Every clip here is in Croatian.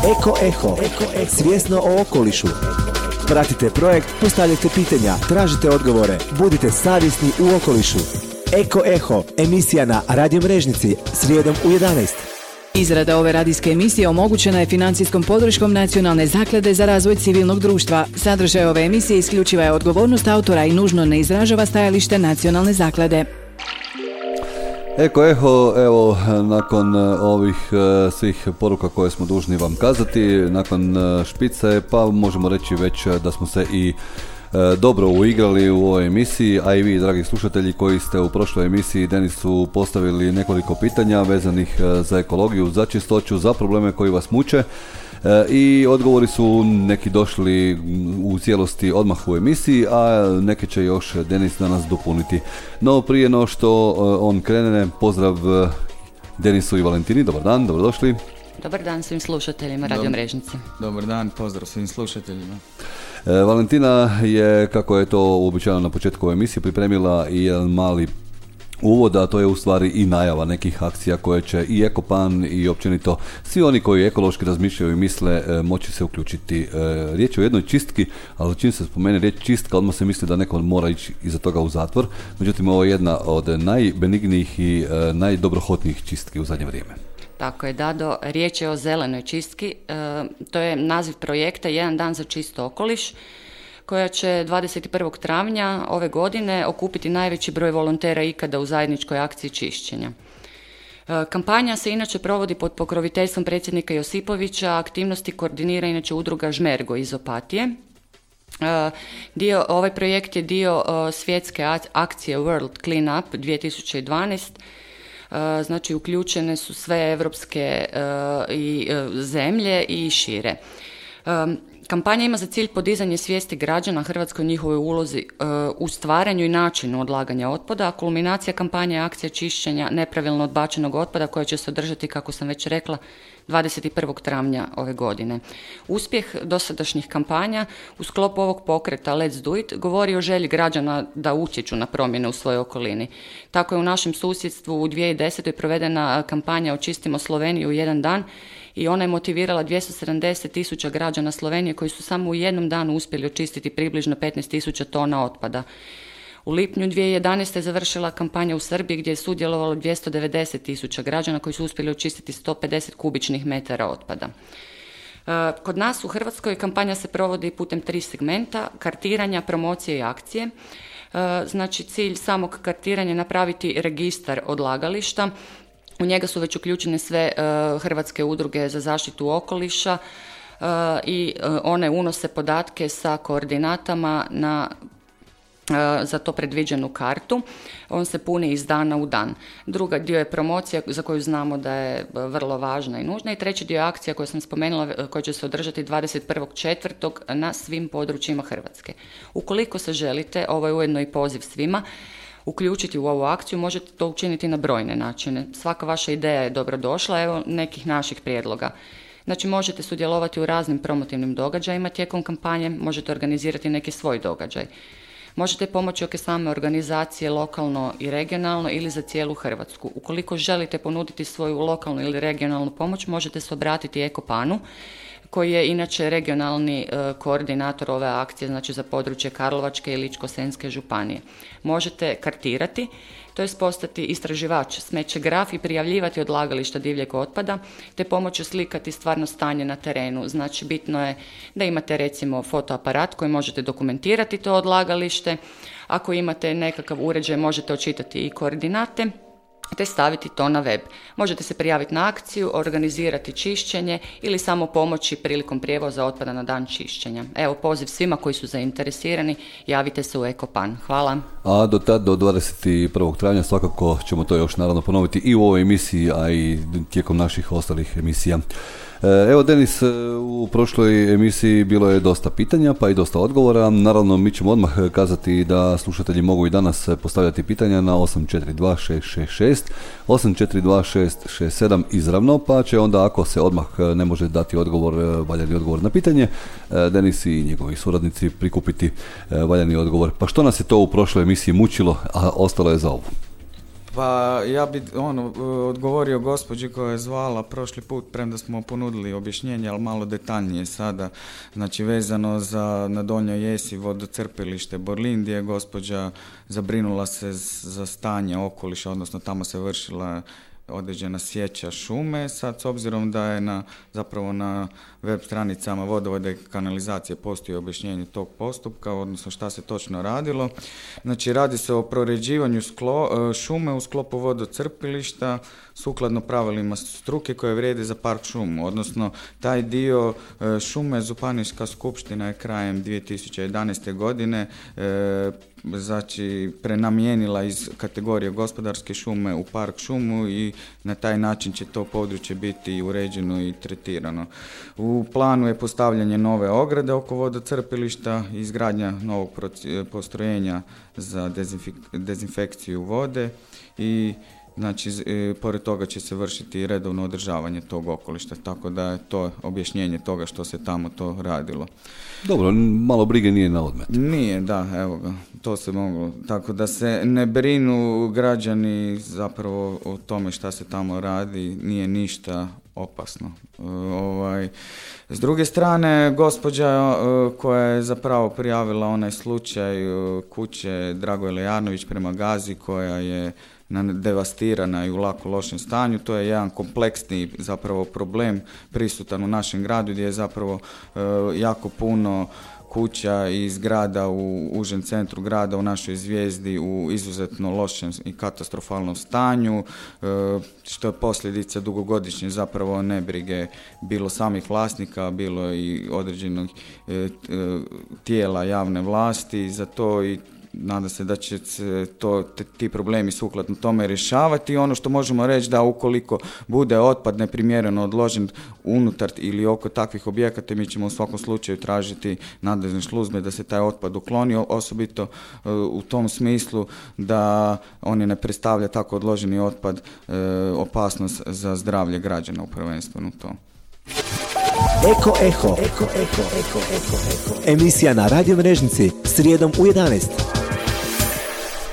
Eko, svjesno o okolišu. Pratite projekt, postavljajte pitanja, tražite odgovore, budite savjesni u okolišu. Eko, emisija na Radio Mrežnici, srijedom u 11. Izrada ove radijske emisije omogućena je financijskom podrškom Nacionalne zaklade za razvoj civilnog društva. Sadržaj ove emisije isključiva je odgovornost autora i nužno ne izražava stajalište Nacionalne zaklade. Evo, nakon ovih svih poruka koje smo dužni vam kazati, nakon špice, pa možemo reći već da smo se i dobro uigrali u ovoj emisiji, a i vi, dragi slušatelji, koji ste u prošloj emisiji Denisu postavili nekoliko pitanja vezanih za ekologiju, za čistoću, za probleme koji vas muče. I odgovori su neki došli u cijelosti odmah u emisiji, a neke će još Denis danas dopuniti. No prije no što on krene, pozdrav Denisu i Valentini, dobar dan, dobrodošli. Dobar dan svim slušateljima Radio Mrežnice. Dobar dan, pozdrav svim slušateljima. Valentina je, kako je to uobičajeno na početku emisije, pripremila i jedan mali uvod, a to je u stvari i najava nekih akcija koje će i Ekopan i općenito svi oni koji ekološki razmišljaju i misle moći se uključiti. Riječ je o jednoj čistki, ali čim se spomene riječ čistka, odmah se misli da neko mora ići iza toga u zatvor. Međutim, ovo je jedna od najbenignijih i najdobrohotnijih čistki u zadnje vrijeme. Tako je, Dado, riječ je o zelenoj čistki. To je naziv projekta Jedan dan za čist okoliš, koja će 21. travnja ove godine okupiti najveći broj volontera ikada u zajedničkoj akciji čišćenja. Kampanja se inače provodi pod pokroviteljstvom predsjednika Josipovića, aktivnosti koordinira inače udruga Žmergo iz Opatije. Ovaj projekt je dio svjetske akcije World Clean Up 2012. Znači uključene su sve evropske zemlje i šire. Kampanja ima za cilj podizanje svijesti građana Hrvatskoj o njihovoj ulozi u stvaranju i načinu odlaganja otpada, a kulminacija kampanje je akcija čišćenja nepravilno odbačenog otpada koja će se održati, kako sam već rekla, 21. travnja ove godine. Uspjeh dosadašnjih kampanja u sklopu ovog pokreta Let's Do It govori o želji građana da utječu na promjene u svojoj okolini. Tako je u našem susjedstvu u 2010. provedena kampanja Očistimo Sloveniju u jedan dan i ona je motivirala 270.000 građana Slovenije koji su samo u jednom danu uspjeli očistiti približno 15.000 tona otpada. U lipnju 2011. je završila kampanja u Srbiji gdje je sudjelovalo 290.000 građana koji su uspjeli očistiti 150 kubičnih metara otpada. Kod nas u Hrvatskoj kampanja se provodi putem 3 segmenta: kartiranja, promocije i akcije. Znači cilj samog kartiranja je napraviti registar odlagališta. U njega su već uključene sve hrvatske udruge za zaštitu okoliša i one unose podatke sa koordinatama za to predviđenu kartu. On se puni iz dana u dan. Druga dio je promocija za koju znamo da je vrlo važna i nužna. I treći dio je akcija koju sam spomenula koja će se održati 21.4. na svim područjima Hrvatske. Ukoliko se želite, ovo je ujedno i poziv svima, uključiti u ovu akciju, možete to učiniti na brojne načine. Svaka vaša ideja je dobrodošla, evo nekih naših prijedloga. Znači možete sudjelovati u raznim promotivnim događajima tijekom kampanje, možete organizirati neki svoj događaj. Možete pomoći oko same organizacije lokalno i regionalno ili za cijelu Hrvatsku. Ukoliko želite ponuditi svoju lokalnu ili regionalnu pomoć, možete se obratiti Ekopanu, koji je inače regionalni koordinator ove akcije, znači za područje Karlovačke i Ličko-senjske županije. Možete kartirati, to je postati istraživač, smećegraf i prijavljivati odlagališta divljeg otpada, te pomoću slikati stvarno stanje na terenu. Znači bitno je da imate recimo fotoaparat koji možete dokumentirati to odlagalište. Ako imate nekakav uređaj, možete očitati i koordinate, te staviti to na web. Možete se prijaviti na akciju, organizirati čišćenje ili samo pomoći prilikom prijevoza otpada na dan čišćenja. Evo poziv svima koji su zainteresirani, javite se u Ekopan. Hvala. A do tad, do 21. travnja, svakako ćemo to još naravno ponoviti i u ovoj emisiji, a i tijekom naših ostalih emisija. Evo Denis, u prošloj emisiji bilo je dosta pitanja pa i dosta odgovora. Naravno mi ćemo odmah kazati da slušatelji mogu i danas postavljati pitanja na 842-666, 842-667 izravno, pa će onda ako se odmah ne može dati odgovor, valjani odgovor na pitanje, Denis i njegovi suradnici prikupiti valjani odgovor. Pa što nas je to u prošloj emisiji mučilo, a ostalo je za ovu? Pa ja bi odgovorio gospođi koja je zvala prošli put, premda smo ponudili objašnjenje, ali malo detaljnije sada. Znači vezano na Donjoj Jesi vodocrpilište Borlin, gdje je gospođa zabrinula se za stanje okoliša, odnosno tamo se vršila određena sječa šume. Sad, s obzirom da je zapravo na web stranicama vodovoda i kanalizacije postoji objašnjenje tog postupka, odnosno šta se točno radilo. Znači, radi se o proređivanju šume u sklopu vodocrpilišta sukladno pravilima struke koje vrijede za park šumu, odnosno taj dio šume Županijska skupština je krajem 2011. godine znači prenamijenila iz kategorije gospodarske šume u park šumu i na taj način će to područje biti uređeno i tretirano. U planu je postavljanje nove ograde oko vodocrpilišta, izgradnja novog postrojenja za dezinfekciju vode i znači, pored toga će se vršiti redovno održavanje tog okolišta, tako da je to objašnjenje toga što se tamo to radilo. Dobro, malo brige nije na odmet. Nije, da, evo ga, to se moglo. Tako da se ne brinu građani zapravo o tome šta se tamo radi, nije ništa opasno. S druge strane, gospođa koja je zapravo prijavila onaj slučaj kuće Dragoje Lejanović prema Gazi, koja je devastirana i u lako lošem stanju, to je jedan kompleksni zapravo problem prisutan u našem gradu, gdje je zapravo jako puno kuća i zgrada u užem centru grada u našoj Zvijezdi u izuzetno lošem i katastrofalnom stanju, što je posljedica dugogodišnje zapravo nebrige bilo samih vlasnika, bilo i određenog tijela javne vlasti za to i nadam se da će se ti problemi sukladno tome rješavati. I ono što možemo reći da ukoliko bude otpad neprimjereno odložen unutar ili oko takvih objekata, mi ćemo u svakom slučaju tražiti nadležne službe da se taj otpad ukloni, osobito u tom smislu da oni ne predstavlja tako odloženi otpad opasnost za zdravlje građana u prvenstveno to. Eko. Emisija na Radio Mrežnici srijedom u 11.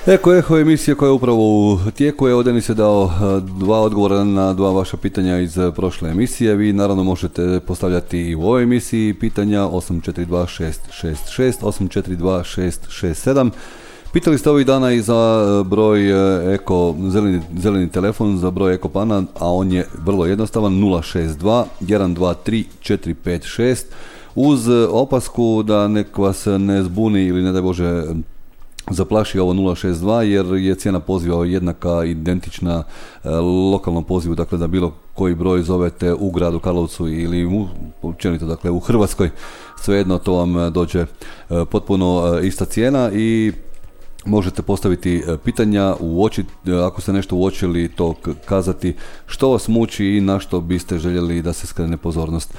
Eko emisija koja je upravo u tijeku. Evo, Denis je dao 2 odgovora na 2 vaša pitanja iz prošle emisije. Vi naravno možete postavljati i u ovoj emisiji pitanja 842666, 842667. Pitali ste ovih dana i za broj zeleni telefon, za broj Ekopana, a on je vrlo jednostavan, 062 123 456, uz opasku da nek vas ne zbuni ili ne daj Bože zaplaši ovo 062, jer je cijena poziva jednaka, identična lokalnom pozivu, dakle da bilo koji broj zovete u gradu Karlovcu ili općenito, dakle u Hrvatskoj, svejedno to vam dođe potpuno ista cijena i možete postaviti pitanja, ako ste nešto uočili, to kazati što vas muči i na što biste željeli da se skrene pozornost.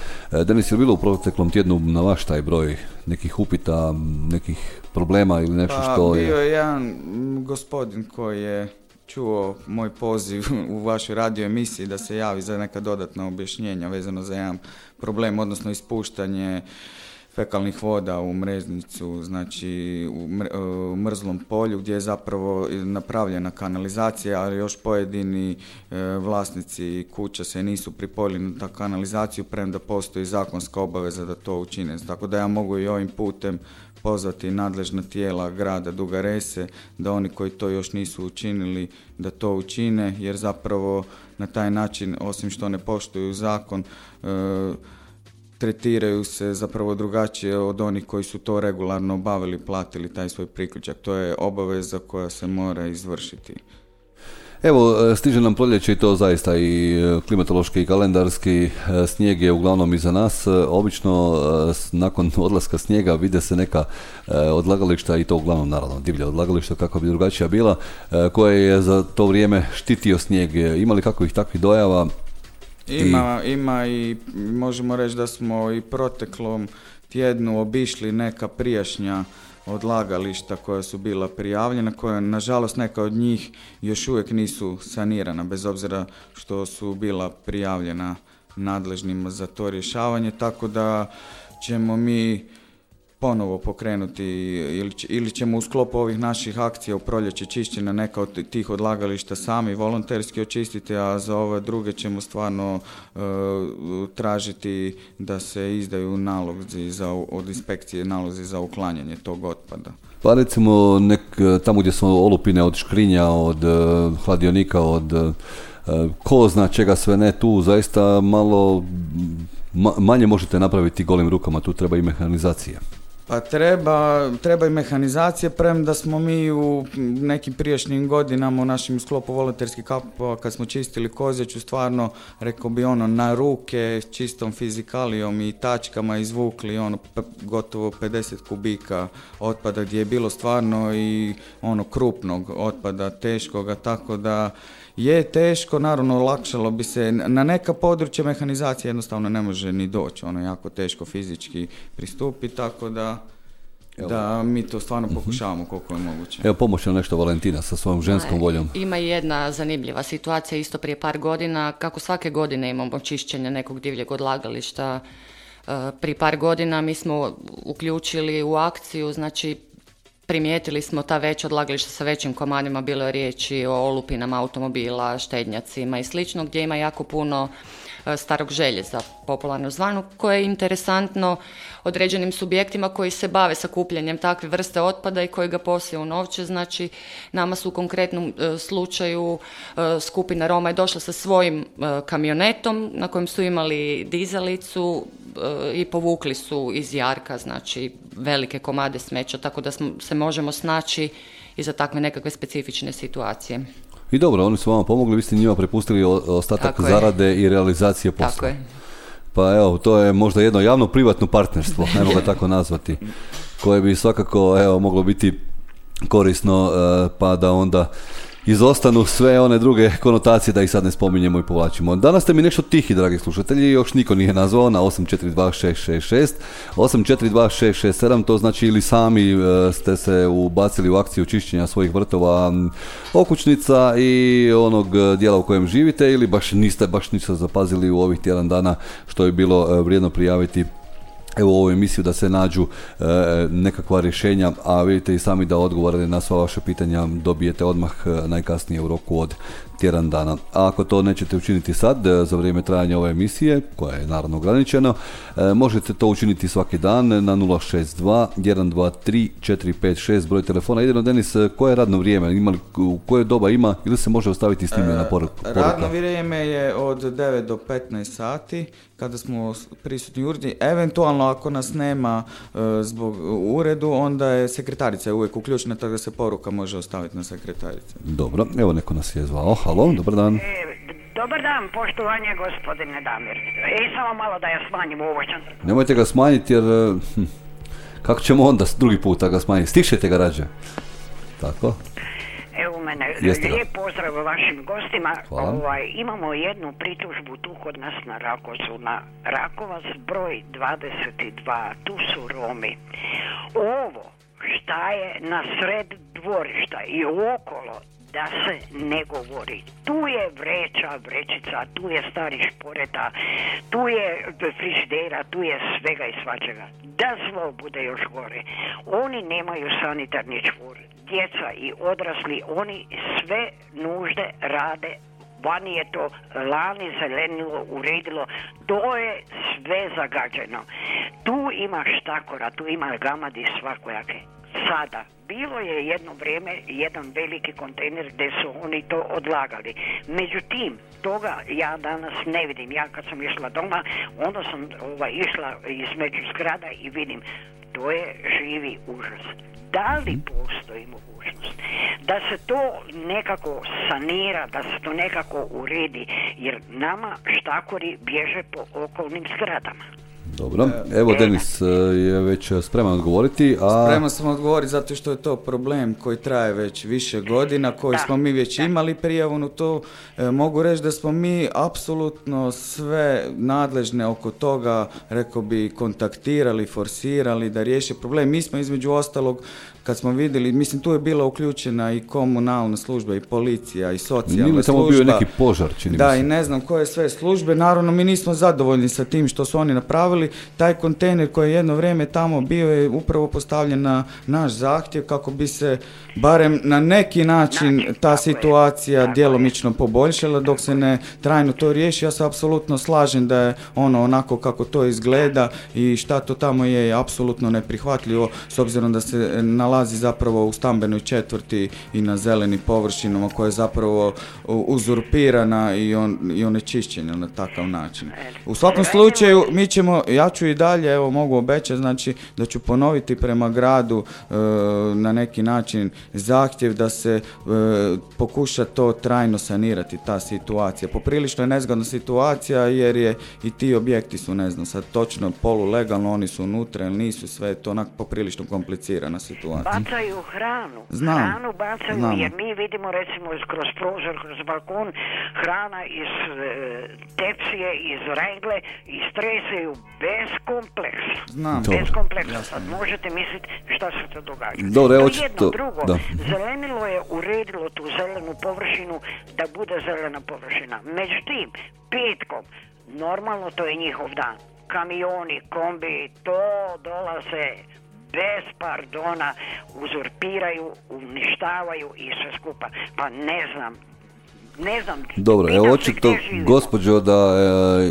Denis, je bilo u proteklom tjednu na vaš taj broj nekih upita, nekih problema ili nešto što je? Bio je jedan gospodin koji je čuo moj poziv u vašoj radio emisiji da se javi za neka dodatna objašnjenja vezano za jedan problem, odnosno ispuštanje fekalnih voda u Mrežnicu, znači u Mrzlom polju, gdje je zapravo napravljena kanalizacija, ali još pojedini vlasnici kuća se nisu pripojili na ta kanalizaciju, premda postoji zakonska obaveza da to učine. Tako da ja mogu i ovim putem pozvati nadležna tijela grada Duge Rese da oni koji to još nisu učinili da to učine, jer zapravo na taj način, osim što ne poštuju zakon, tretiraju se zapravo drugačije od onih koji su to regularno obavili, platili taj svoj priključak. To je obaveza koja se mora izvršiti. Evo, stiže nam proljeće i to zaista i klimatološki i kalendarski. Snijeg je uglavnom iza nas. Obično nakon odlaska snijega vide se neka odlagališta, i to uglavnom naravno divlja odlagališta, kako bi drugačija bila, koje je za to vrijeme štitio snijeg. Ima li kakvih takvih dojava? Ima i možemo reći da smo i proteklom tjednu obišli neka prijašnja odlagališta koja su bila prijavljena, koja nažalost neka od njih još uvijek nisu sanirana, bez obzira što su bila prijavljena nadležnima za to rješavanje, tako da ćemo mi ponovo pokrenuti ili ćemo u sklopu ovih naših akcija u proljeće čišćenja neka od tih odlagališta sami volonterski očistiti, a za ove druge ćemo stvarno tražiti da se izdaju nalozi od inspekcije, nalozi za uklanjanje tog otpada. Pa recimo tamo gdje su olupine od škrinja, od hladionika, od ko zna čega sve ne, tu zaista malo manje možete napraviti golim rukama, tu treba i mehanizacija. Pa treba i mehanizacije, premda smo mi u nekim prijašnjim godinama u našem sklopu volonterskih kampova kad smo čistili Kozjaču, stvarno rekao bi na ruke čistom fizikalijom i tačkama izvukli gotovo 50 kubika otpada gdje je bilo stvarno i krupnog otpada, teškoga, tako da je teško, naravno olakšalo bi se, na neka područja mehanizacija jednostavno ne može ni doći, jako teško fizički pristupiti, tako da mi to stvarno pokušavamo koliko je moguće. Evo pomoći nam nešto Valentina sa svojom ženskom voljom. Ima jedna zanimljiva situacija isto prije par godina, kako svake godine imamo čišćenje nekog divljeg odlagališta. Prije par godina mi smo uključili u akciju, znači primijetili smo ta veća odlagališta sa većim komadima, bilo je riječi o olupinama automobila, štednjacima i slično, gdje ima jako puno starog željeza, popularno zvano, koje je interesantno određenim subjektima koji se bave sakupljanjem takve vrste otpada i koji ga poslije unovče. Znači, nama su u konkretnom slučaju skupina Roma je došla sa svojim kamionetom na kojem su imali dizalicu i povukli su iz jarka, znači velike komade smeća, tako da se možemo snaći i za takve nekakve specifične situacije. I dobro, oni su vama pomogli, vi ste njima prepustili ostatak zarade i realizacije posla. Tako je. Pa evo, to je možda jedno javno-privatno partnerstvo, ne mogu ga tako nazvati, koje bi svakako moglo biti korisno, pa da onda izostanu sve one druge konotacije, da ih sad ne spominjemo i povlačimo. Danas ste mi nešto tihi, dragi slušatelji, još niko nije nazvao na 8426666, 8426667, to znači ili sami ste se ubacili u akciju čišćenja svojih vrtova, okućnica i onog dijela u kojem živite, ili niste zapazili u ovih tjedan dana, što je bilo vrijedno prijaviti evo u ovu emisiju, da se nađu nekakva rješenja, a vidite i sami da odgovore na sva vaša pitanja dobijete odmah najkasnije u roku od tjedan dana. A ako to nećete učiniti sad, za vrijeme trajanja ove emisije, koja je naravno ograničeno, možete to učiniti svaki dan na 062 123 456 broj telefona. Jedino, Denis, koje je radno vrijeme? U koje doba ima ili se može ostaviti snimljena poruka? Radno vrijeme je od 9 do 15 sati, kada smo prisutni u uredu. Eventualno, ako nas nema zbog uredu, onda je sekretarica uvijek uključena, tako da se poruka može ostaviti na sekretarici. Dobro, evo neko nas je zvao. Halo, dobar dan. Dobar dan, poštovanje gospodine Damir. Samo malo da ja smanjim ovoćan. Nemojte ga smanjiti jer kako ćemo onda drugi puta ga smanjiti? Stišete ga rađe. Tako. Evo mene, lijep pozdrav vašim gostima. Imamo jednu pritužbu tu kod nas na Rakovcu, na Rakovac broj 22, tu su Romi. Ovo šta je na sred dvorišta i okolo, da se ne govori. Tu je vrećica, tu je stari šporeta, tu je frižidera, tu je svega i svačega. Da zlo bude još gore. Oni nemaju sanitarni čvor. Djeca i odrasli, oni sve nužde rade. Vani je to lani zelenilo, uredilo, to je sve zagađeno. Tu ima štakora, tu ima gamadi svakojake. Sada, bilo je jedno vrijeme jedan veliki kontejner gdje su oni to odlagali. Međutim, toga ja danas ne vidim. Ja kad sam išla doma, onda sam išla između zgrada i vidim, to je živi užas. Da li postoji mogućnost da se to nekako sanira, da se to nekako uredi, jer nama štakori bježe po okolnim zgradama? Dobro, evo Denis je već spreman odgovoriti. Spreman sam odgovoriti zato što je to problem koji traje već više godina, koji smo mi već imali prijavu na to. Mogu reći da smo mi apsolutno sve nadležne oko toga, rekao bi, kontaktirali, forsirali da riješe problem. Mi smo između ostalog kad smo vidjeli, mislim tu je bila uključena i komunalna služba i policija i socijalna služba. Tamo bio neki požar, čini da, mi se. I ne znam koje sve službe, naravno mi nismo zadovoljni sa tim što su oni napravili. Taj kontejner koji je jedno vrijeme tamo bio je upravo postavljen na naš zahtjev kako bi se barem na neki način ta situacija djelomično poboljšala dok se ne trajno to riješi. Ja se apsolutno slažem da je ono onako kako to izgleda i šta to tamo je apsolutno neprihvatljivo s obzirom da se nalazi zapravo u stambenoj četvrti i na zelenim površinama koja je zapravo uzurpirana i onečišćena na takav način. U svakom slučaju mi ćemo, ja ću i dalje, evo mogu obećati, znači da ću ponoviti prema gradu na neki način zahtjev da se pokuša to trajno sanirati, ta situacija. Poprilično je nezgodna situacija jer je i ti objekti su, ne znam, sad točno polulegalno, oni su unutra ili nisu, sve je to onak poprilično komplicirana situacija. Bacaju hranu. Znam. Hranu bacaju jer mi vidimo recimo kroz prozor, kroz balkon, hrana iz tepsije, iz rengle i stresaju bez kompleksa. Znam. Bez kompleksa. Sad možete misliti šta se to događa. Dobro, evo jedno, drugo, zelenilo je uredilo tu zelenu površinu da bude zelena površina. Međutim, petkom, normalno to je njihov dan. Kamioni, kombi, to dolaze bez pardona, uzurpiraju, uništavaju i sve skupa. Pa ne znam. Dobro, evo očito, gospođo, da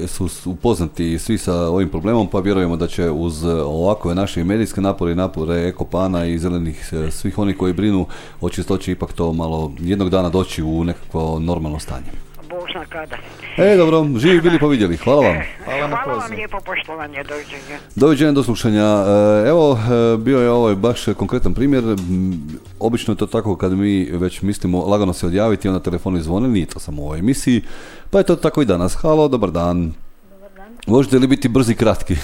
su upoznati svi sa ovim problemom, pa vjerujemo da će uz ovakve naše medijske napore Ekopana i zelenih, svih onih koji brinu o čistoći, ipak to malo jednog dana doći u nekakvo normalno stanje. Bog zna kada. Dobro, živi bili pa vidjeli. Hvala vam. Hvala vam lijepo, poštovanje, doviđenja. Doviđenja, do slušanja. Evo, bio je ovo baš konkretan primjer. Obično je to tako kad mi već mislimo lagano se odjaviti, onda telefoni zvone, nije to samo u ovoj emisiji, pa je to tako i danas. Halo, dobar dan. Možete li biti brzi i kratki?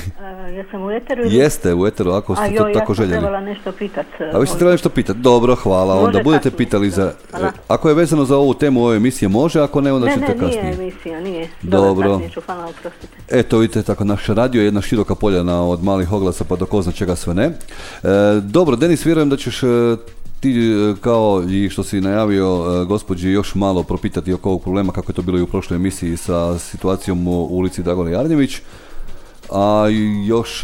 Jesam u eteru? Jeste u eteru, ako ste to tako željeli. Ja sam trebala nešto pitati. A vi ste trebali nešto pitati? Dobro, hvala. Onda budete pitali za... Ako je vezano za ovu temu ove emisije može, ako ne, onda ćete kasnije. Ne, nije emisija, nije. Dobro. Hvala, oprostite. Eto, vidite, tako naš radio je jedna široka poljana od malih oglasa pa do ko zna čega sve ne. Dobro, Denis, vjerujem da ćeš ti, kao i što si najavio gospođi, još malo propitati oko ovog problema kako je to bilo i u prošloj emisiji sa situacijom u ulici Dragole Jarnjević, a još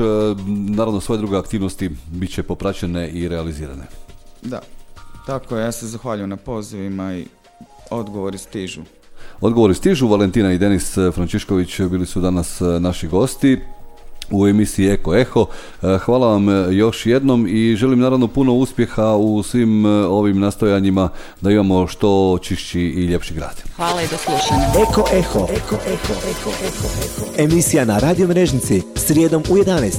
naravno svoje druge aktivnosti bit će popraćene i realizirane. Da, tako je, ja se zahvaljujem na pozivima i odgovori stižu. Odgovori stižu, Valentina i Denis Frančišković bili su danas naši gosti u emisiji Eko Eho. Hvala vam još jednom i želim naravno puno uspjeha u svim ovim nastojanjima da imamo što čišći i ljepši grad. Hvala i do slušanja. Eko Eho. Emisija na Radio Mrežnici srijedom u 11.